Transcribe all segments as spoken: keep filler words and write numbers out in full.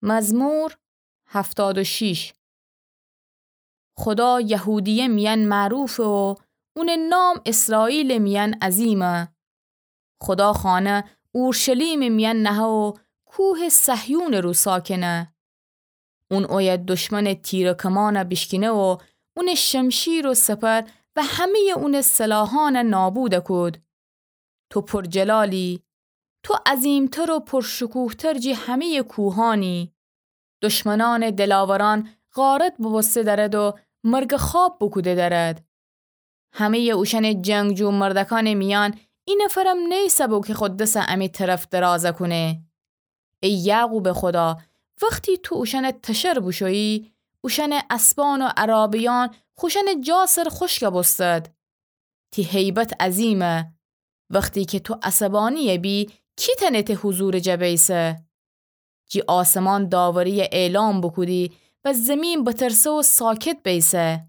مزمور هفتاد و شش. خودا یهودیه میأن معروفه و اونٚ نام اسرائیلٚ میأن عظیمه. خودا خانه اورشلیمٚ میأن نهه و کوهٚ صهیونٚ رو ساکنه. اون اویه دشمنٚ تیر و کمانه بیشکینه و اونٚ شمشیر و سپر و همه‌یٚ اونٚ سلاحأنه نابوده کود. تو پرجلالی، تو عظیمتر و پرشکوهتر جی همه‌یٚ کوهأنی. دشمنأنٚ دلاورأن غارت بوبوسته دأرد و مرگٚ خواب بوکوده دأرد. همه‌یٚ اوشأنٚ جنگجو مردکأنٚ میأن ای نفرم نیسه بو که خو دسه امی طرف درازه کونه. ای یعقوبٚ خودا، وختی تو اوشأنٚ تشر بوشویی، اوشأنٚ اسبأن و عرابه‌یأن خوشأنٚ جا سر خوشکه بوستد. تی هیبت عظیمه. وختی که تو عصبأنی‌یه بی، کی تأنه تی حضورٚ جا بیسه؟ جی آسمان داوری‌یه اعلام بوکودی و زیمین بترسه و ساکت بیسه.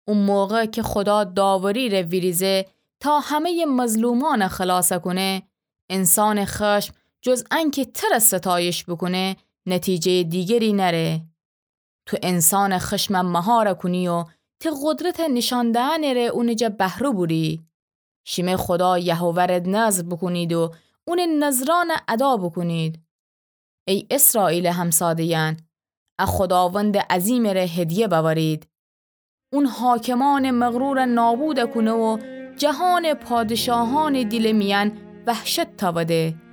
او موقع که خودا داوری‌ره ویریزه تا همه‌یٚ مظلومأنه خلاصه کونه، انسانٚ خشم جز انکه تره ستایش بوکونه، نتیجه‌یٚ دیگری نأره. تو انسانٚ خشمه مهاره کونی و تی قدرتٚ نیشأن دهنٚ ره اونٚ جا بهرو بوری. شیمه خودا یهوه ره نذر بوکونید و اونٚ نذرأنه ادا بوکونید. ای اسرائیلٚ همساده‌یأن، ا خوداوندٚ عظیمٚ ره هدیه بأورید. اون حاکمأنٚ مغروره نابوده کونه و جهانٚ پادشاهأنٚ دیلٚ میأن وحشت تأوده.